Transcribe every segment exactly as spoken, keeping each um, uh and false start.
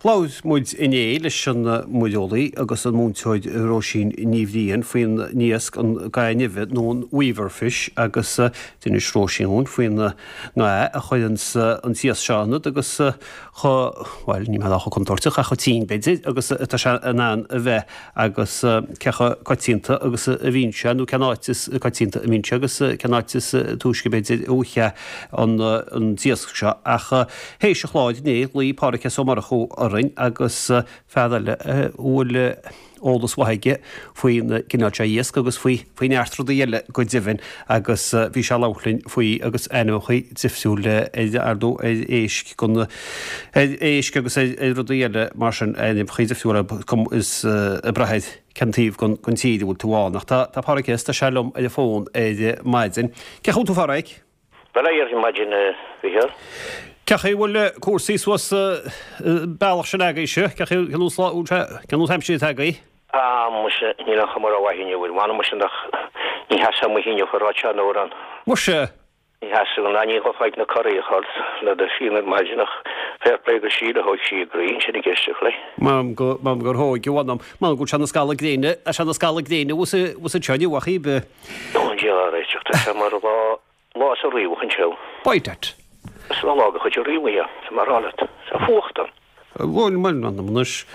Labhair muid inné leis an muireolaí agus an múinteoir Róisín Ní Bhriain faoin iasc an ga nimhe nó an weaver fish agus d'inis Róisín dúinn faoin nga a chuireann an t-iasc seo ionat agus chomh, bhuel, ní mé chomh contúirteach ach chomh tinn b'fhéidir agus atá sé in ann a bheith agus cé chomh coitianta agus a bhíonn sé nó cén áit is coitianta a bhíonn sé agus cén áit is túisce b'fhéidir a bhfaighfeá an an t-iasc seo ach théis an chláir inné ghlaoigh Pádraig S. Ó Murchú orainn agus fear eile a bhfuil eolas mhaith aige faoin gcineál seo iasc agus faoi faoi neart rudaí eile go deimhin agus bhí sé ag labhairt linn faoi agus ainmneacha difriúla ar ar ndóigh ar éisc gon ar éisc agus ar ar rudaí eile mar sin ainmneacha difriúla is ag brath ar cén taobh gon gon tír a bhfuil tú ann. Ach tá tá Pádraig S. tá sé liom ar an bhfón ar maidin. Cén chaoi a bhfuil tú a Phádraig? Bail ó Dhia ort ar maidin, a Mhícheáil. Cén chaoi a bhfuil cúrsaí suas an bealach sin agaibhse? Cén chaoi, cén nós lá, cén nós aimsire atá agaibh? Ah, muise, níl aon chuma rómhaith inniu air. Mh'anam muise nach, ní sheasfá amuigh inniu a rá seo an amhrán. Muise! Ní sheasfadh, ná ní ghabhfá ag na coraí a chur le do shín ar maidin ach fair play go Síle, thóig sí a croí ansin ag éisteacht léi. M'anam go, m'anam gur thóig, a mh'anam. M'anam go bhfuil sé ina scalladh gréine, tá sé ina scalladh gréine thuas, thuas anseo inniu ach íbe. Ó, an diabhal á réiteach, tá sé mar lá. Lá sa riabhach anseo. By dad. Is lá de chuid an riabhaigh é, tá mé a rá leat. Tá fuacht ann. Bhuel, bhuel, m'anam anois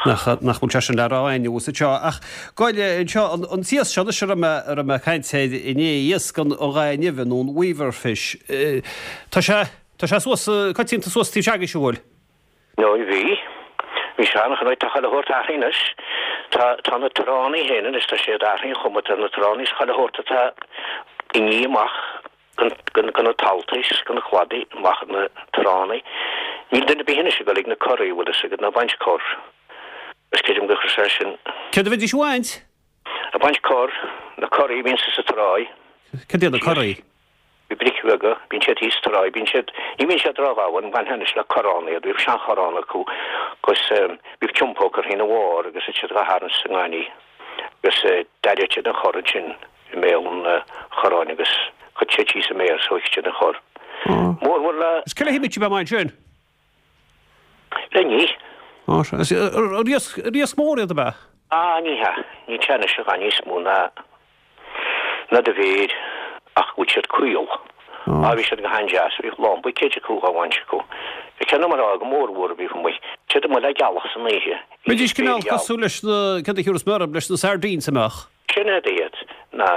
nach, nach bhfuil sé sin le rá againn thuas anseo. Ach gabh i leith anseo, an, an t-iasc seo anois a raibh mé, a raibh mé ag caint air inné, iasc an, an gha nimhe nó an weaver fish, tá sé, tá sé suas, coitianta suas taobh s'agaibhse, an bhfuil? Nó bhí. Bhí sé an-chnoite, tá chuile shórt athraithe anois. Tá, tá na tránna féin anois, tá siad athraithe an chuma atá ar na tránna is chuile shórt atá ag ní amach den, den, de na taltaí is de na cladaí amach ar na tránna. Níl duine ar bith anois ag dul ag na coraí, bhfuil fhios agat, ná baint corr. Is creidim gur chuir sé sin. Céard a bheidís a bhaint? Ag baint corr, na coraí a bhíonn sa tráigh. Cad iad na coraí? Bhí bric bheaga, bíonn siad thíos sa tráigh, bíonn siad, ní bhíonn siad ródhomhain, bainfeá anois le corrán iad, bhíodh seanchorrán acu agus bhíodh tiompó curtha ina bharr agus bhíodh siad dhá tharraingt sa ngaineamh agus d'aireodh siad an chorr ansin i mbéal an chorráin agus chuirfeadh siad síos a méar is thóigfeadh siad an chorr. Mórmhór le. Is cé le himigh siad amach ansin? Le ní. Á, sea. Is iasc, iasc mór iad ab ea? Á, ní hea. Níl sé anois a dhath níos mó ná. ná do mhéir, ach go bhfuil siad caol. Á, bhí siad go han-deas. Bhíodh lán buicéid acu dhá bhaint acu. Bhí ceann mar go mór mhór a bhíodh amuigh. Siad amuigh le gealach san oíche. Bheidís cineál cosúil leis na, céard a thiúrfas mé orthu, leis na sardines an mbeadh? Sin iad iad. Ná,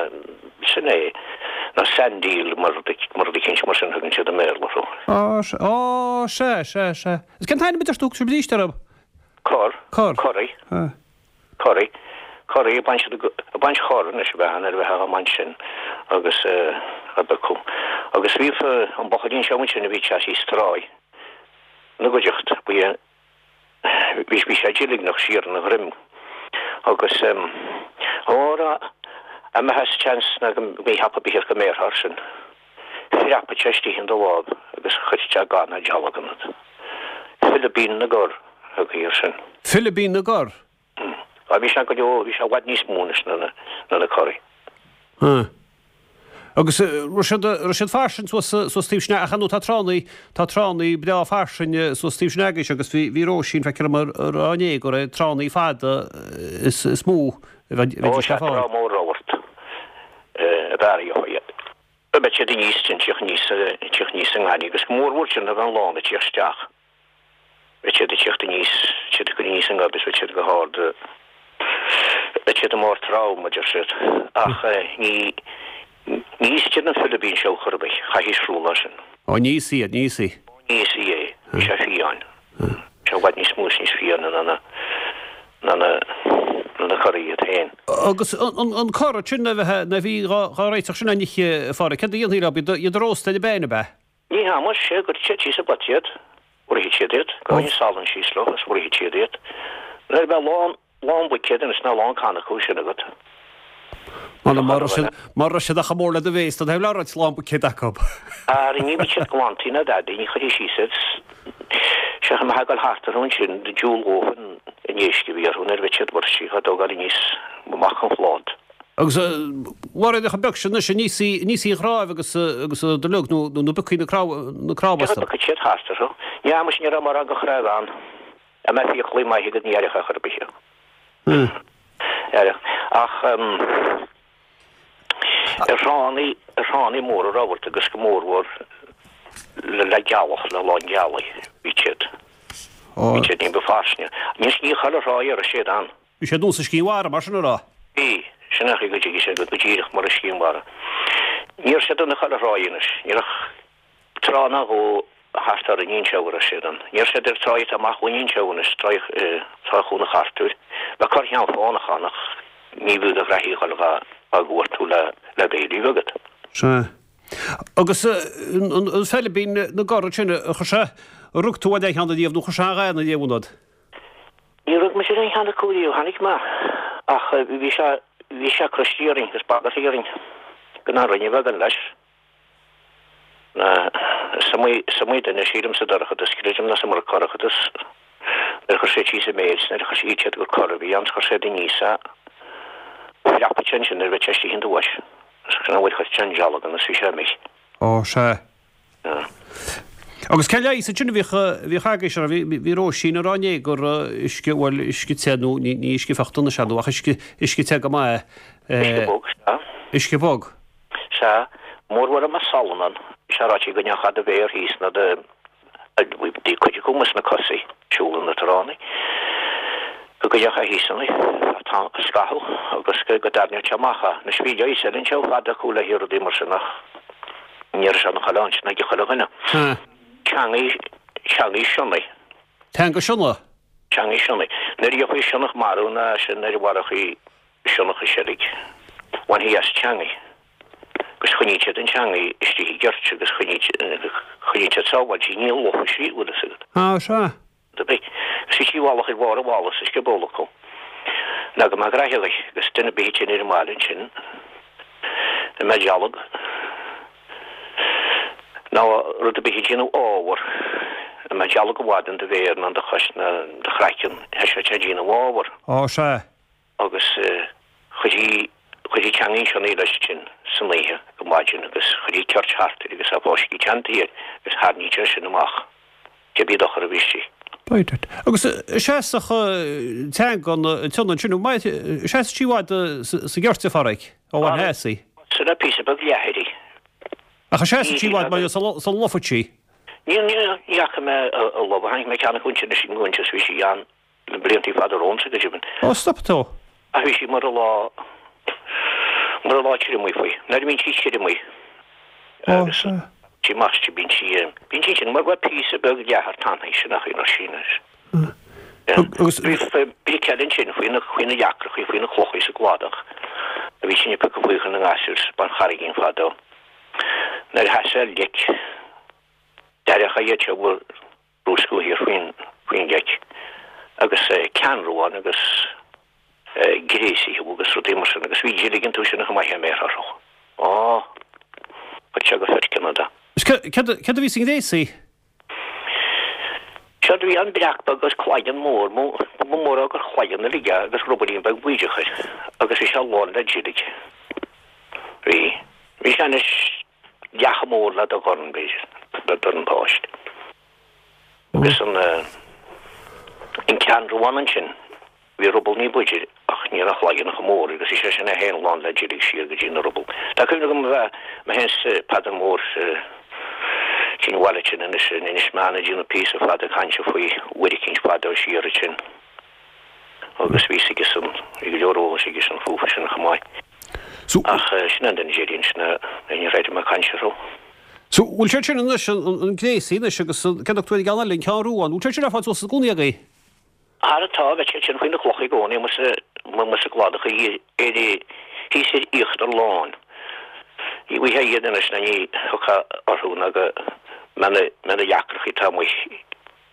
sin é. Ná sand eel mar rud, mar rud eicínt mar sin a thugann siad i mBéarla orthu. Á, sea, á, sea, sea, sea. Is cén t-ainm a deir tú a thug sibh arís orthu? Corr. Corr. Corraí. Corraí. Corraí, ag baint, ag baint chorr anois a bheith ann, ar a bheith á mbaint sin agus a bheith acu. Agus bhíodh an buachaillín seo ansin a bhí ag teacht thíos tráigh ina gcuideachta, bhí, bhí, bhí sé deilgneach siar ina dhroim agus óra a mbeadh seans ná go mí-thapa bíthear go mbéarfá air sin. Phreabfadh sé istigh in do láimh agus chuirfeadh sé ga ná dealg ionat. Philibín na gCorr a thugtaí air sin. Philibín na gCorr? Á, bhí sé go leor, bhí sé i bhfad níos mó anois ná ná na corraí. Á. Agus raibh siad, raibh siad fairsing suas, suas taobh sin, ach ar ndóigh tá tránnaí, tá tránnaí breá fairsing suas taobh sin agaibhse agus bhí, bhí Róisín, feictear dom, ag rá inné go raibh tránnaí fada is, is mó a bheidís Ó, le sea, fáil. trá mór rabhart a b'fhearr a gheofá iad. Beidh siad aníos, tíocht aníos, tíocht aníos sa ngaineamh agus go mór mhór sin nuair a bheidh an lán ag tíocht isteach. Beidh siad ag tíocht aníos, siad ag cur aníos an gob is beidh siad go hard, beidh siad i mbarr trom, a deir siad. Ach ní, ní íosfaidh siad an philibín seo chor ar bith, chaithfí siúl leis sin. Ó, ní íosfaí iad, ní íosfaí. Ó, ní íosfaí é, bhí sé fiáin. Bhí sé i bhfad níos mó is níos fiáine ná na, ná na, ná na corraí iad féin. Agus an, an corr sin a bheith, a bhí dhá, dhá réiteach sin á n-ithe, a Phádraig, céard a dhéanfaí leo, iad, iad a róstadh ar an bpeann, ab ea? Ní hea, muise, gcuirfeadh siad síos i bpota iad, bhruithfeadh siad iad, goin salann síos leo agus bhruithfeadh siad iad. Nuair a bheadh lán, lán buicéad anois ná lán canna acu sin agat. Mura raibh siad, mura raibh siad ach chomh mór le do bhéas, tá taobh le roinnt lán buicéad acu. Ara ní bheadh siad glanta ná dadaí, ní chuirfí síos iad. Sea, a mbeifeá ag dul thart orthu ansin, diúlódh an éisc a bhí orthu nuair a bheadh siad bruite, ag tógáil aníos amach an phlát. Agus mharaigh an beag sin anois aníos í, aníos í an chnáimh agus, agus do liug nó, nó piocfaí na cnámha, na cnámha astu. Piocfaidh siad thart orthu. Ní fhaca mise, ní raibh mórán de chnámh ann. Dá mbeadh fiaclaí maithe agat ní aireofá chor ar bith é. Aireach. Ach ar thránna, ar thránna móra rabharta agus go mórmhór le le gealach, le lán gealaí, bhí siad. Bhí siad ní ba fairsinge. Anois ní chuile thrá a raibh siad ann. Bhí siad nós sciath mhara mar sin a rá. Bhí, sin é go dtuigfidh sé go díreach mar a sciath mhara. Ní raibh siad ann i chuile thráigh anois. Ní raibh trá ná dhó thart ar an Inse a raibh siad ann. Ní raibh siad ar tráigh atá amach ón Inse anois, tráigh Trá Chuan Chartúir. Bheadh corrcheann fánach ann ach ní bhfiú do ghraithí a dhul dhá gcuartú le le béilí a bheith agat. Sea. Agus an feilbín na gcorr sin, chuir sé, rug tú ar aon cheann ariamh nó chuir sé a dhath ariamh ionat? Níor rug mise ar aon cheann acu riamh, tháinig mé, ach bhí sé, bhí sé croistí orainn agus bagartha orainn gan aon roinn a bheith againn leis. Is iomaí, is iomaí duine, sílim, sa dorchadas, creidim nach iomarca dorchadas, nuair a chuir siad síos a méid, nuair a chuir siad siad gur corr a bhí ann, chuir siad aníos é, phreapadh sé ansin nuair a bheadh sé istigh in do bhois. Sin an bhfuil chuir sé an dealg ionas bhí sé imithe. Ó, sea. Yeah. Agus cén leigheas ansin a bhíodh, a bhíodh agaibhse, a bhí, bhí Róisín ag rá inné gur uisce, bhuel, uisce te nó ní, ní uisce feochta anois ar ndóigh ach uisce, uisce te go maith. Uisce bog, sea. Uisce bog. Sea. Mórmhór a mbeadh salann ann. Bhí sé ráite go ndeachaigh do mhéar thíos ná do, Bhí cuid acu amuigh sna cosaí, siúl na tránna, go gcuirfeadh thíos ann tá scaitheamh agus go dtarraingeodh sé amach é. Anois bhí leigheas eile anseo fada acu le haghaidh rudaí mar sin ach ní raibh sé ina chuile áit ná ag chuile dhuine. Teangaidh, teangaidh sionnaigh. Teanga sionnaigh? Teangaidh sionnaigh. Nuair a gheofaí sionnach marbh ná sin nuair a mharófaí sionnach i seilg, bhainfí as teangaidh. Agus choinníodh siad an teangaidh istigh i gceirt agus choinníodh siad sábháilte í, ní lobhadh sí, bhfuil fhios agat. Á, sea. Do bhí. Agus bhí sí i bhfolach ar bharr an bhalla sa scioból acu. Ná go mbeadh graithe uirthi, agus duine ar bith a tinn ar an mbaile ansin, a mbeadh dealg, ná rud ar bith ag déanamh ábhar, a mbeadh dealg i bhfad in do mhéar ná in do chois ná in do chraiceann, thoiseodh sé ag déanamh ábhar. Á, sea. Agus chuirtí, chuirtí teangaidh sionnaigh leis ansin san oíche go maidin agus chuirtí ceirt thart air agus a fáiscí teanntaí air agus tharraingtí é sin amach cibé dochar a bhí istigh. Right, right. Agus seasfadh teanga an tsionnaigh ansin, seasfaidh sí i bhfad sa gceirt, a Phádraig, ó bhain theas í. Sin é píosa beag leathair í. Ach seasfaidh sí i bhfad mar sula lobhfaidh sí. Ní, ní, ní fhaca mé a lobhadh, tháinig mé ceann acu ansin is an bhí sí ann. Na blianta fada romhamsa go deimhin. Ó, stop tú. Ach bhí sí mar a lá, mar a lá triomaigh faoi. Nuair a bhíonn sí triomaigh agus sí amach sí, bíonn sí, bíonn sí sin mar bheadh píosa beag leathair tanaí sin ach í sí anois. Agus. Bhí bric eile ansin faoi na, faoi na leacrachaí, faoi na clochaí sa gcladach a bhí sin ag piocadh faoi chun na ngasúr sa Charraigín fadó. Nuair a sheas ar leic, d'aireofá iad seo brúscadh thiar faoin faoin leic agus ceannróin agus gréasaithe agus rudaí mar sin agus bhí deilg iontu sin chomh maith a mbeadh orthu. Á, chuir sé go foirceannadh é. Is céard a bhí sa ngréasaí? Séard a bhí ann breac beag agus cloigeann mór, ba mhór é gur chloigeann uilig é agus rubaillín beag bídeach air agus bhí sé lán le deilg. Bhí. Bhí sé anois leath chomh mór le do dhorn, b'fhéidir, le dorn páiste. Agus an an ceannróin ansin, bhí ruball ní b'fhaide ach ní raibh a chloigeann chomh mór agus bhí sé sin é féin lán le deilg siar go dtí na ruball. Tá cuimhne agam a bheith mé féin 's Peadar Mór sa tSín bhaile sin anois in Inis Meáin ag déanamh píosa fada cainte faoi uair eicínt fadó siar ansin agus bhí 'fhios aigesan, bhí go leor eolais aigesan fúthu sin chomh maith. Ach sin an duine déarfainn sin a ní raibh mé ag caint orthu. So, bhfuil sé sin anois, an gréasaí anois agus cén dochtúir an gceann eile, an ceann rua, an bhfuil sé sin ar fáil suas i gcónaí agaibh? Ara tá, bheadh siad sin faoi na clocha i gcónaí amuigh sa, amuigh sa gcladach ar, thíos ar íochtar láin. Ní bhfaighfeá iad anois ná ní thiocfá orthu ná go mbeadh na, mbeadh na leacrachaí atá amuigh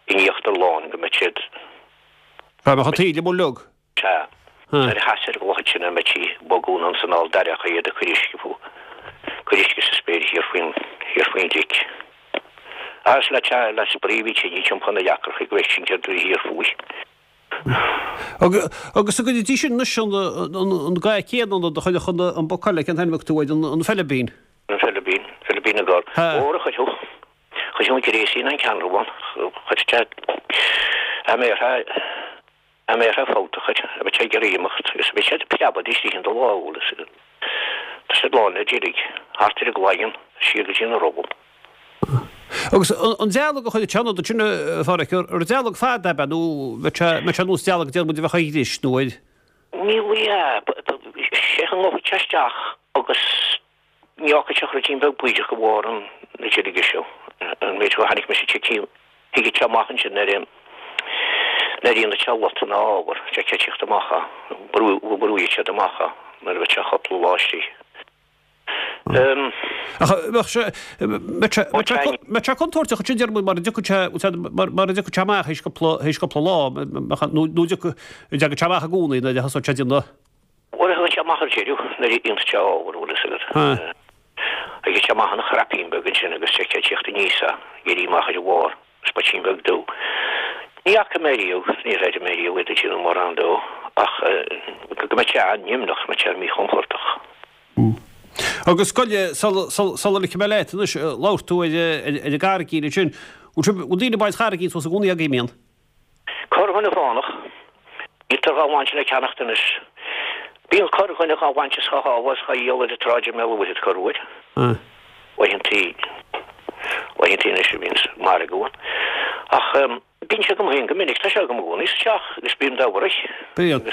in íochtar láin go mbeadh siad. Dá mbeadh an taoille amuigh uilig. Sea. Nuair a sheas ar an gcloch ansin a mbeadh sí ag bogadh anonn 's anall d'aireofá iad ag cur uisce fú, cur uisce sa spéir thiar faoin, thiar faoin leic. Agus le te, le spraoi a bhí tine timpeall na leacracha go bhfeicfinn céard a bhí thiar fúithi. Agus an gcuirfidís sin anois an, an, an ga céanna ionad a chuirfeadh an, an boc eile, cén t-ainm a thug tú air, an, an feilibín? An feilibín, feilibín na gcorr. Óra chuirfeadh, chuirfeadh an gréasaí ná an ceannróin, chuirfeadh sé, A mbeadh a mbeadh fabhtach air, a bheadh sé ag iarraidh imeacht agus bheadh siad ag preabadh istigh in do lámh, bhfuil fhios agat. Tá siad lán le deilg, thart ar an gcloigeann, siar go dtí an ruball. Agus an dealg a chuir an tseanfhadhb sin, a Pháraic, ar dealg fada ab ea nó mbeadh sé nós dealg a déanann muid a bheadh ag ris nó ar. Níl ea, sé an ngabhfaidh sé isteach agus ní fhágfaidh sé ach ruidín beag bídeach go bharr an na deilge seo, an méid go tháinig mise tite thig sé amach ansin nuair a nuair a dhéanann sé lot ina ábhar, sé tíocht amach a brú brúigh siad amach a nuair a bheadh sé cúpla lá istigh. Ach bheadh sé mbeadh sé contúirteach ansin déarfainn mar a dtiocfadh sé mar a dtiocfadh sé amach théis cúpla théis cúpla lá nó nó dtiocfadh dtagadh sé amach i gcónaí nuair a thosódh sé ag déanamh. Bhuel thagadh sé amach ar deireadh nuair a dhéanfadh sé ábhar bhfuil fhios agat. Thagadh sé amach ina chraipín beag ansin agus sé tíocht aníos a éirí amach ar a bharr spoitín beag dubh. Ní fhaca mé riamh, níor airigh mé riamh iad ag déanamh mórán dó ach go mbeadh sé an-nimhneach, mbeadh sé míchompordach. Agus goile, sula ligfidh mé leat anois, labhair tú ar an gcarraigín ansin. Bhfuil daoine ag baint carraigín suas i gcónaí agaibh, mbíonn? Corrdhuine fánach. Níltear dhá bhaint le ceannacht anois. Bíonn corrdhuine dhá bhaint is dhá shábháil is dhá dhíol ar an tsráid i mBéal an Mhuirthead corruair. Laethantaí, laethantaí anois a bhíonns margadh ann. Ach bíonn sé agam féin go minic, tá sé agam i gcónaí sa teach agus bím dá bhfuaraigh. Bíonn.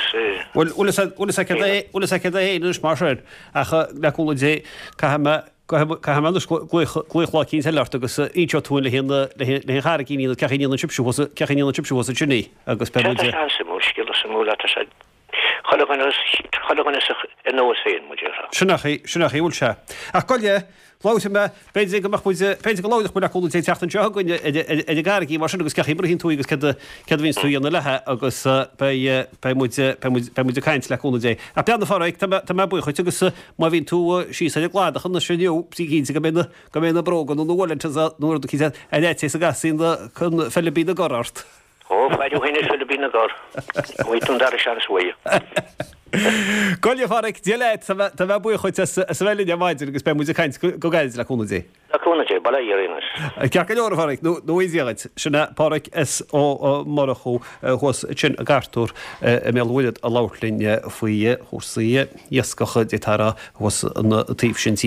Bhuel, bhfuil fhios agat é, bhfuil fhios agat é féin anois mar sin, ach le cúnamh Dé, caithfidh mé, caithfidh mé anois glaoch, glaoch lá eicínt eile ort agus inseoidh tú le haghaidh na, le haghaidh an charraigín cén chaoi a ndéanann sibhse thuas, cén chaoi a ndéanann sibhse thuas ansin í agus beidh muid. Tá sé an-suimiúil, scéal suimiúil tá sé, chuile dhuine, chuile dhuine ar nós féin, mar a déarfá. Sin é an chaoi, sin é an chaoi a bhfuil sé. Ach goile, labhróidh mé, b'fhéidir go mbeadh muid, b'fhéidir go labhródh muid le cúnamh Dé an tseachtain seo chugainn ar an gcarraigín mar sin agus cén chaoi a mbraitheann tú í agus céard a, céard a bhíonns tú a dhéanamh léithe agus beidh, beidh muid, beidh muid, beidh muid ag caint le cúnamh Dé. Ach bean a Pháraic, tá mé, tá mé buíoch dhuit agus má bhíonn tú síos ar an gcladach anois inniu, bí cinnte go mbeidh na, go mbeidh na bróga nó na wellingtons nó rud eicínt ar fhaitíos go gcasfaí na, an Philibín na gCorr ort. Ó, faire thú féin ar Philibín na gCorr. Bhfaighidh tú an dara seans uaidh. Goile a Pháraic, Dia leat, tá mé buíoch dhuit as a bheith linn ar maidin agus beidh muid ag caint go gairid le cúnamh Dé. Le cúnamh Dé, bail ó Dhia oraibh anois. Ceart go leor a Pháraic, nó a Dhia dhuit. Sin é Páraic S. Ó Murchú thuas ansin i gCartúr i mBéal an Mhuirthead ag labhairt linn faoi chúrsaí iascaigh, d'fhéadfá a rá, thuas an taobh sin tíre.